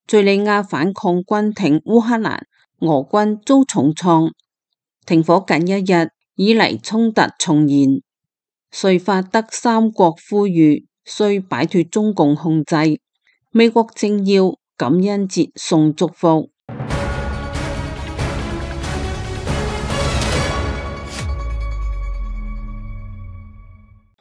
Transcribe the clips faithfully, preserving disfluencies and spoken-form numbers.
敘利亞反抗軍挺烏克蘭，俄軍遭重創。停火近一日以嚟衝突重燃，瑞法德三國呼籲需擺脫中共控制。美國政要感恩節送祝福。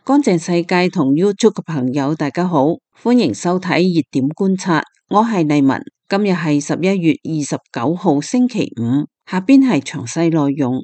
乾淨世界同 YouTube 嘅朋友大家好，歡迎收睇熱點觀察，我係麗文。今日係十一月二十九號星期五，下邊係詳細內容。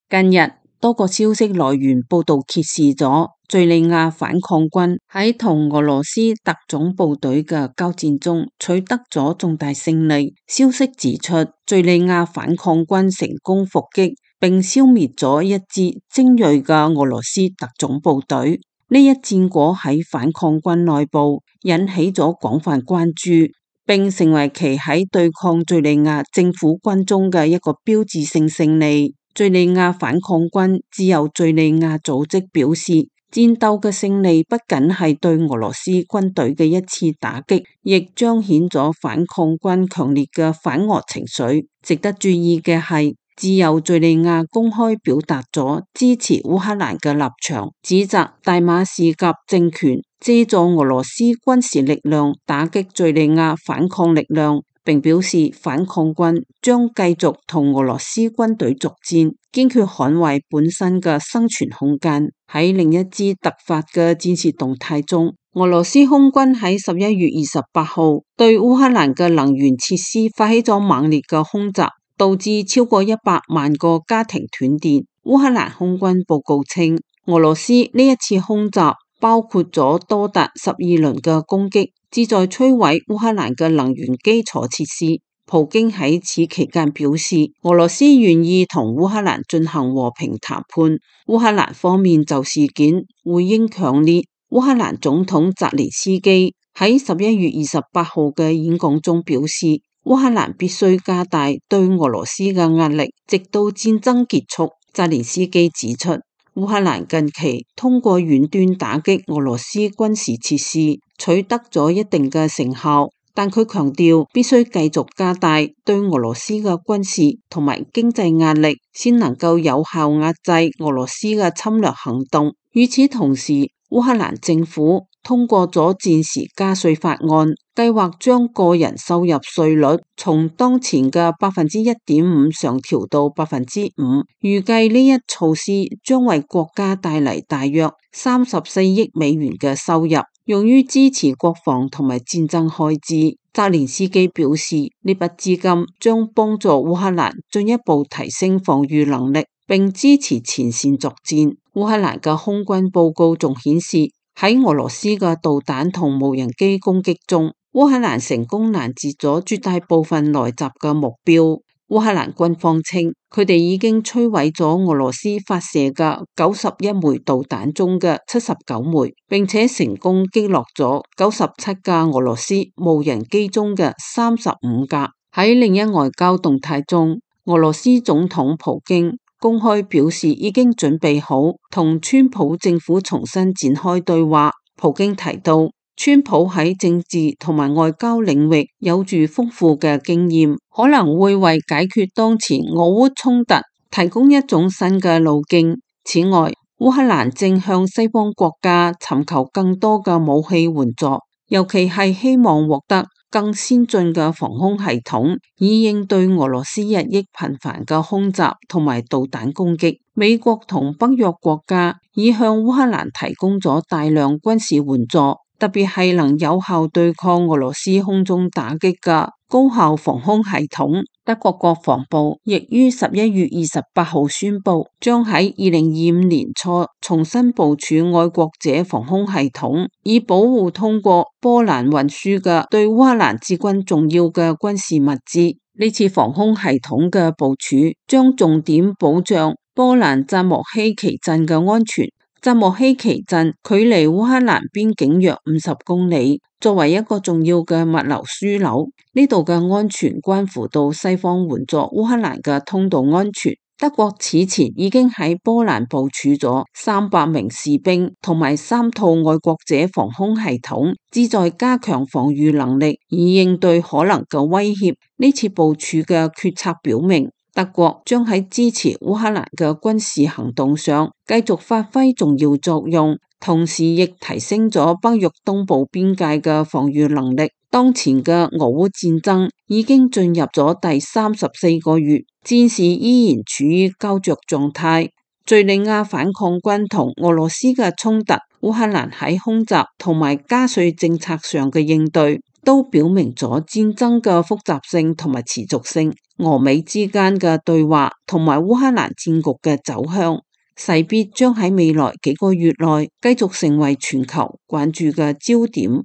近日多個消息來源報道揭示咗敘利亞反抗軍喺同俄羅斯特種部隊嘅交戰中取得咗重大勝利。消息指出，敘利亞反抗軍成功伏擊並消滅咗一支精銳嘅俄羅斯特種部隊。呢一戰果喺反抗軍內部引起咗廣泛關注，並成為其喺對抗敘利亞政府軍中嘅一個標誌性勝利。敘利亞反抗軍自由敘利亞組織表示，戰鬥嘅勝利不僅係對俄羅斯軍隊嘅一次打擊，亦彰顯咗反抗軍強烈嘅反俄情緒。值得注意嘅係，自由敘利亞公開表達咗支持烏克蘭嘅立場，指責大馬士革政權借助俄羅斯軍事力量打擊敘利亞反抗力量，並表示反抗軍將繼續同俄羅斯軍隊作戰，堅決捍衛本身嘅生存空間。喺另一支突發嘅戰事動態中，俄羅斯空軍喺十一月二十八號對烏克蘭嘅能源設施發起咗猛烈嘅空襲，導致超過一百萬個家庭斷電。烏克蘭空軍報告稱，俄羅斯呢一次空襲包括咗多達十二輪嘅攻擊，旨在摧毀烏克蘭嘅能源基礎設施。普京喺此期間表示，俄羅斯願意同烏克蘭進行和平談判。烏克蘭方面就事件回應強烈。烏克蘭總統澤連斯基喺十一月二十八號嘅演講中表示，烏克蘭必須加大對俄羅斯嘅壓力，直到戰爭結束。澤連斯基指出，烏克蘭近期通過遠端打擊俄羅斯軍事設施，取得咗一定嘅成效，但佢強調必須繼續加大對俄羅斯嘅軍事同埋經濟壓力，先能夠有效壓制俄羅斯嘅侵略行動。與此同時，烏克蘭政府通過咗戰時加稅法案，計劃將個人收入稅率從當前嘅百分之一點五上調到百分之五。預計呢一措施將為國家帶嚟大約三十四億美元嘅收入，用於支持國防同埋戰爭開支。澤連斯基表示，呢筆資金將幫助烏克蘭進一步提升防禦能力，並支持前線作戰。烏克蘭嘅空軍報告仲顯示，喺俄羅斯嘅導彈同無人機攻擊中，烏克蘭成功攔截咗絕大部分來襲嘅目標。烏克蘭軍方稱，佢哋已經摧毀咗俄羅斯發射嘅九十一枚導彈中嘅七十九枚，並且成功擊落咗九十七架俄羅斯無人機中嘅三十五架。喺另一外交動態中，俄羅斯總統普京公開表示已經準備好同川普政府重新展開對話。普京提到，川普喺政治同埋外交領域有住豐富嘅經驗，可能會為解決當前俄烏衝突提供一種新嘅路徑。此外，烏克蘭正向西方國家尋求更多嘅武器援助，尤其係希望獲得更先進嘅防空系統，以應對俄羅斯日益頻繁嘅空襲同埋導彈攻擊。美國同北約國家已向烏克蘭提供咗大量軍事援助，特別係能有效對抗俄羅斯空中打擊嘅高效防空系統。德國國防部亦於十一月二十八號宣布，將喺二零二五年初重新部署愛國者防空系統，以保護通過波蘭運輸嘅對烏克蘭至關重要嘅軍事物資。呢次防空系統嘅部署將重點保障波蘭扎莫希奇鎮嘅安全。扎莫希奇鎮距離烏克蘭邊境約五十公里，作為一個重要嘅物流樞紐，呢度嘅安全關乎到西方援助烏克蘭嘅通道安全。德國此前已經喺波蘭部署咗三百名士兵同埋三套愛國者防空系統，旨在加強防禦能力，以應對可能嘅威脅。呢次部署嘅決策表明，德國將喺支持烏克蘭嘅軍事行動上繼續發揮重要作用，同時亦提升咗北約東部邊界嘅防禦能力。當前嘅俄烏戰爭已經進入咗第三十四個月，戰事依然處於膠着狀態。敘利亞反抗軍同俄羅斯嘅衝突，烏克蘭喺空襲同埋加稅政策上嘅應對，都表明咗戰爭嘅複雜性同埋持續性。俄美之間嘅對話同埋烏克蘭戰局嘅走向，勢必將喺未來幾個月內繼續成為全球關注嘅焦點。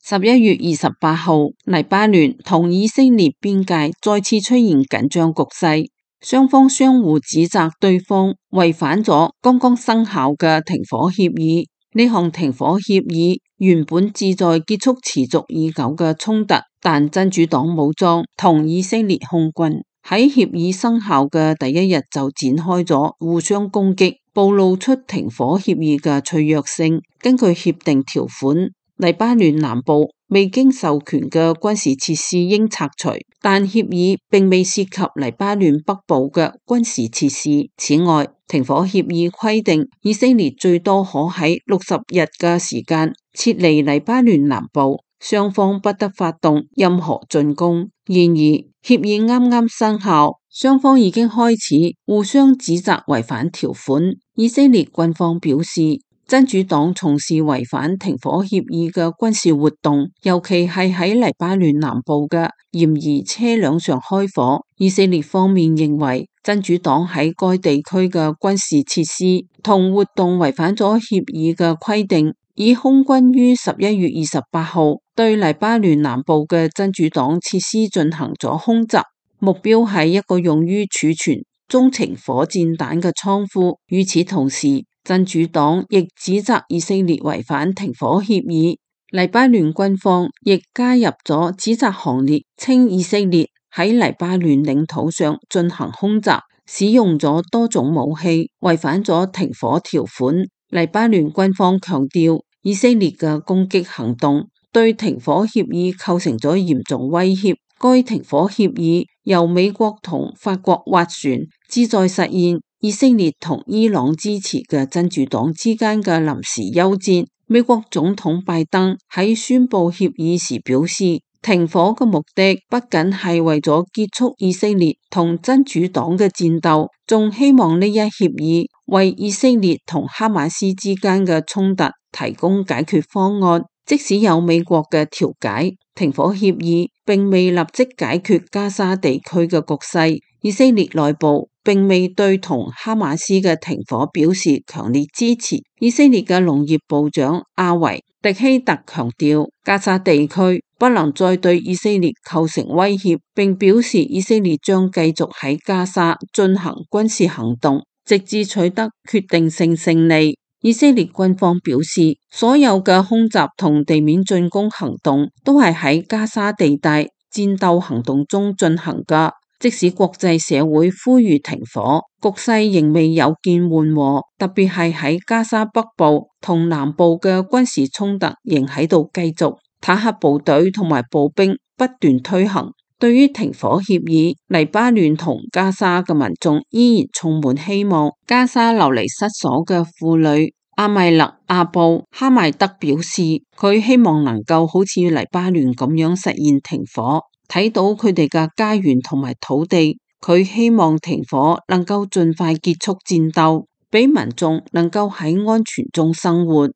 十一月二十八號，黎巴嫩同以色列邊界再次出現緊張局勢，雙方相互指責對方違反咗剛剛生效嘅停火協議。呢項停火協議原本旨在結束持續已久嘅衝突，但真主黨武裝同以色列空軍喺協議生效嘅第一日就展開咗互相攻擊，暴露出停火協議嘅脆弱性。根據協定條款，黎巴嫩南部未經授權嘅軍事設施應拆除，但協議並未涉及黎巴嫩北部嘅軍事設施。此外，停火協議規定以色列最多可喺六十日嘅時間撤離黎巴嫩南部，雙方不得發動任何進攻。然而，協議啱啱生效，雙方已經開始互相指責違反條款。以色列軍方表示，真主黨從事違反停火協議嘅軍事活動，尤其係喺黎巴嫩南部嘅嫌疑車輛上開火。以色列方面認為，真主黨喺該地區嘅軍事設施同活動違反咗協議嘅規定，以空軍於十一月二十八號對黎巴嫩南部嘅真主黨設施進行咗空襲，目標係一個用於儲存中程火箭彈嘅倉庫。與此同時，真主黨亦指責以色列違反停火協議，黎巴嫩軍方亦加入咗指責行列，稱以色列喺黎巴嫩領土上進行空襲，使用咗多種武器，違反咗停火條款。黎巴嫩軍方強調，以色列嘅攻擊行動對停火協議構成咗嚴重威脅。該停火協議由美國同法國斡旋，旨在實現以色列同伊朗支持嘅真主黨之間嘅臨時休戰。美國總統拜登喺宣布協議時表示，停火嘅目的不僅係為咗結束以色列同真主黨嘅戰鬥，仲希望呢一協議為以色列同哈馬斯之間嘅衝突提供解決方案。即使有美國嘅調解，停火協議並未立即解決加沙地區嘅局勢。以色列內部並未對同哈馬斯嘅停火表示強烈支持。以色列嘅農業部長阿維迪希特強調，加沙地區不能再對以色列構成威脅，並表示以色列將繼續喺加沙進行軍事行動，直至取得決定性勝利。以色列軍方表示，所有嘅空襲同地面進攻行動都係喺加沙地帶戰鬥行動中進行㗎。即使國際社會呼籲停火，局勢仍未有見緩和，特別係喺加沙北部同南部嘅軍事衝突仍喺度繼續，坦克部隊同埋步兵不斷推行。對於停火協議，黎巴嫩同加沙嘅民眾依然充滿希望。加沙流離失所嘅婦女阿米勒阿布哈邁德表示，佢希望能夠好似黎巴嫩咁樣實現停火，睇到佢哋嘅家園同埋土地。佢希望停火能夠盡快結束戰鬥，俾民眾能夠喺安全中生活。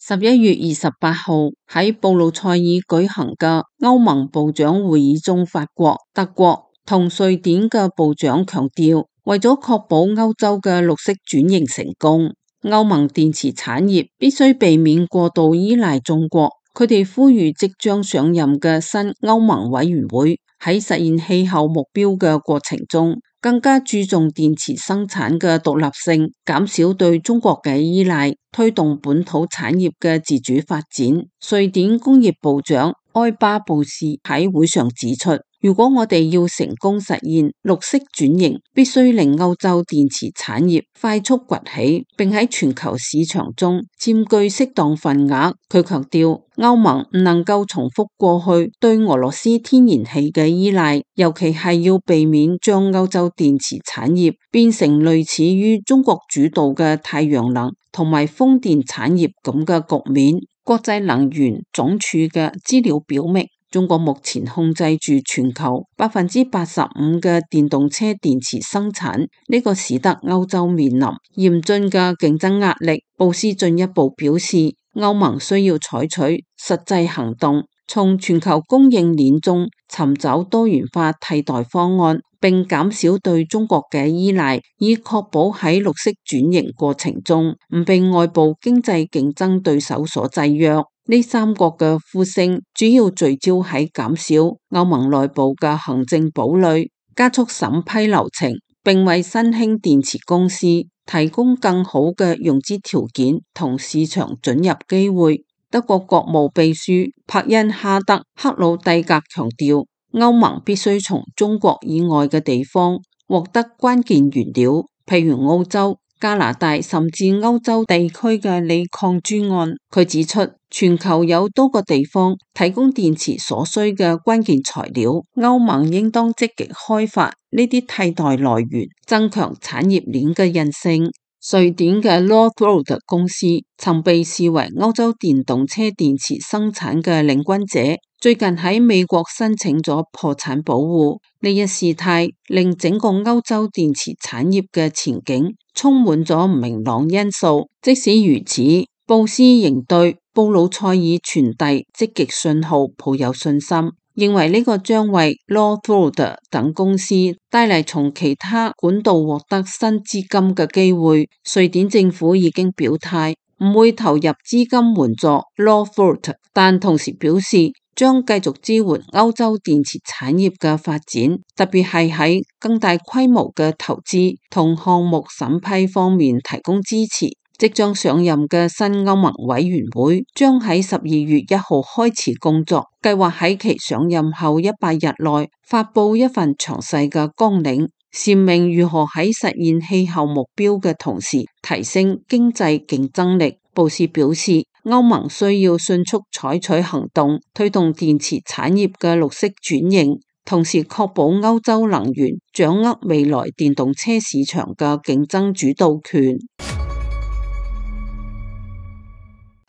十一月二十八號喺布魯塞爾舉行嘅歐盟部長會議中，法國、德國同瑞典嘅部長強調，為咗確保歐洲嘅綠色轉型成功，歐盟電池產業必須避免過度依賴中國。佢哋呼籲即將上任嘅新歐盟委員會喺實現氣候目標嘅過程中，更加注重電池生產嘅獨立性，減少對中國嘅依賴，推動本土產業嘅自主發展。瑞典工業部長埃巴布斯喺會上指出，如果我哋要成功實現綠色轉型，必須令歐洲電池產業快速崛起，並喺全球市場中佔據適當份額。佢強調，歐盟唔能夠重複過去對俄羅斯天然氣嘅依賴，尤其係要避免將歐洲電池產業變成類似於中國主導嘅太陽能同埋風電產業咁嘅局面。國際能源總署嘅資料表明，中國目前控制住全球百分之八十五嘅電動車電池生產，呢個使得歐洲面臨嚴峻嘅競爭壓力。布斯進一步表示，歐盟需要採取實際行動，從全球供應鏈中尋找多元化替代方案，並減少對中國嘅依賴，以確保喺綠色轉型過程中唔被外部經濟競爭對手所制約。呢三國嘅呼聲主要聚焦喺減少歐盟內部嘅行政堡壘，加速審批流程，並為新興電池公司提供更好嘅融資條件同市場准入機會。德國國務秘書柏恩哈德克魯蒂格強調，歐盟必須從中國以外嘅地方獲得關鍵原料，譬如澳洲、加拿大甚至歐洲地區嘅鋰礦專案。佢指出，全球有多個地方提供電池所需嘅關鍵材料，歐盟應當積極開發呢啲替代來源，增強產業鏈嘅韌性。瑞典嘅 Northvolt 公司曾被視為歐洲電動車電池生產嘅領軍者，最近喺美國申請咗破產保護。呢一事態令整個歐洲電池產業嘅前景充滿咗唔明朗因素。即使如此，布斯仍對布魯塞爾傳遞積極信號抱有信心，認為呢個將為 Northvolt 等公司帶嚟從其他管道獲得新資金嘅機會。瑞典政府已經表態唔會投入資金援助 Northvolt， 但同時表示將繼續支援歐洲電池產業嘅發展，特別係喺更大規模嘅投資同項目審批方面提供支持。即將上任嘅新歐盟委員會將喺十二月一號開始工作，計劃喺其上任後一百日內發佈一份詳細嘅綱領，闡明如何喺實現氣候目標嘅同時提升經濟競爭力。布斯表示，歐盟需要迅速採取行動，推動電池產業嘅綠色轉型，同時確保歐洲能源掌握未來電動車市場嘅競爭主導權。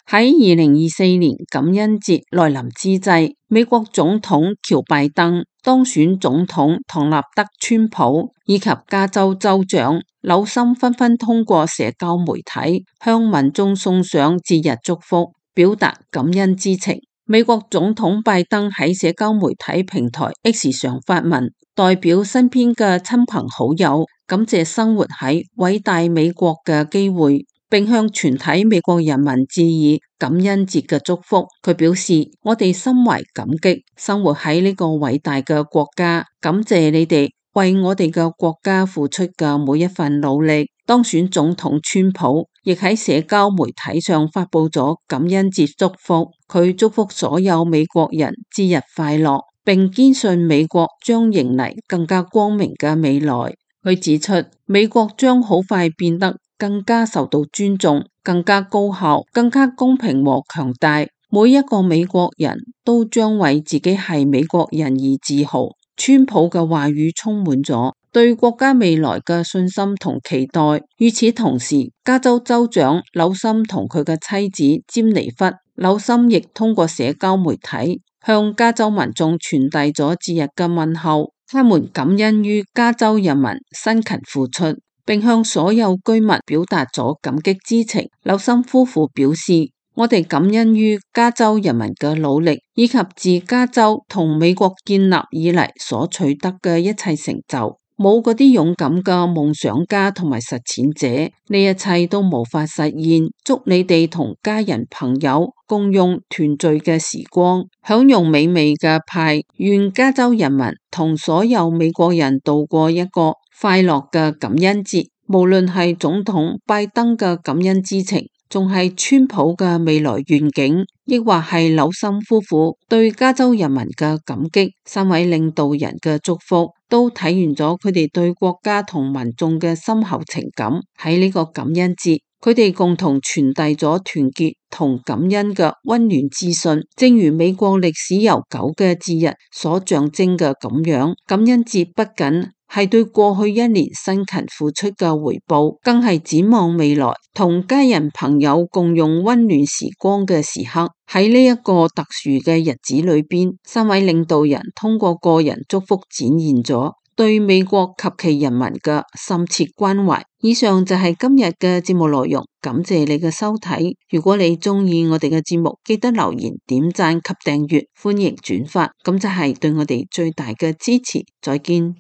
喺二零二四年感恩節來臨之際，美國總統喬拜登、當選總統唐納德川普以及加州州長紐森紛紛通過社交媒體向民眾送上節日祝福，表達感恩之情。美國總統拜登喺社交媒體平台 X 上發文，代表身邊嘅親朋好友感謝生活喺偉大美國嘅機會，並向全體美國人民致以感恩節嘅祝福。佢表示，我哋心懷感激，生活喺呢個偉大嘅國家，感謝你哋為我哋嘅國家付出嘅每一份努力。當選總統川普亦喺社交媒體上發佈咗感恩節祝福，佢祝福所有美國人節日快樂，並堅信美國將迎嚟更加光明嘅未來。佢指出，美國將好快變得更加受到尊重，更加高效，更加公平和強大。每一個美國人都將為自己係美國人而自豪。川普嘅話語充滿咗對國家未來嘅信心同期待。與此同時，加州州長紐森同佢嘅妻子詹妮弗紐森亦通過社交媒體向加州民眾傳遞咗節日嘅問候。他們感恩於加州人民辛勤付出，並向所有居民表達咗感激之情。紐森夫婦表示，我哋感恩於加州人民嘅努力，以及自加州同美國建立以嚟所取得嘅一切成就。冇嗰啲勇敢嘅夢想家同埋實踐者，呢一切都無法實現。祝你哋同家人朋友共用團聚嘅時光，享用美味嘅派。願加州人民同所有美國人度過一個快樂嘅感恩節。無論係總統拜登嘅感恩之情，仲係川普嘅未來願景，抑或係紐森夫婦對加州人民嘅感激？三位領導人嘅祝福都體現咗佢哋對國家同民眾嘅深厚情感。喺呢個感恩節，佢哋共同傳遞咗團結同感恩嘅溫暖資訊，正如美國歷史悠久嘅節日所象徵嘅咁樣。感恩節不僅係對過去一年辛勤付出嘅回報，更係展望未來，同家人朋友共用溫暖時光嘅時刻。喺呢一個特殊嘅日子裏邊，三位領導人通過個人祝福展現咗對美國及其人民嘅深切關懷。以上就係今日嘅節目內容，感謝你嘅收睇。如果你中意我哋嘅節目，記得留言、點讚及訂閱，歡迎轉發，咁就係對我哋最大嘅支持。再見。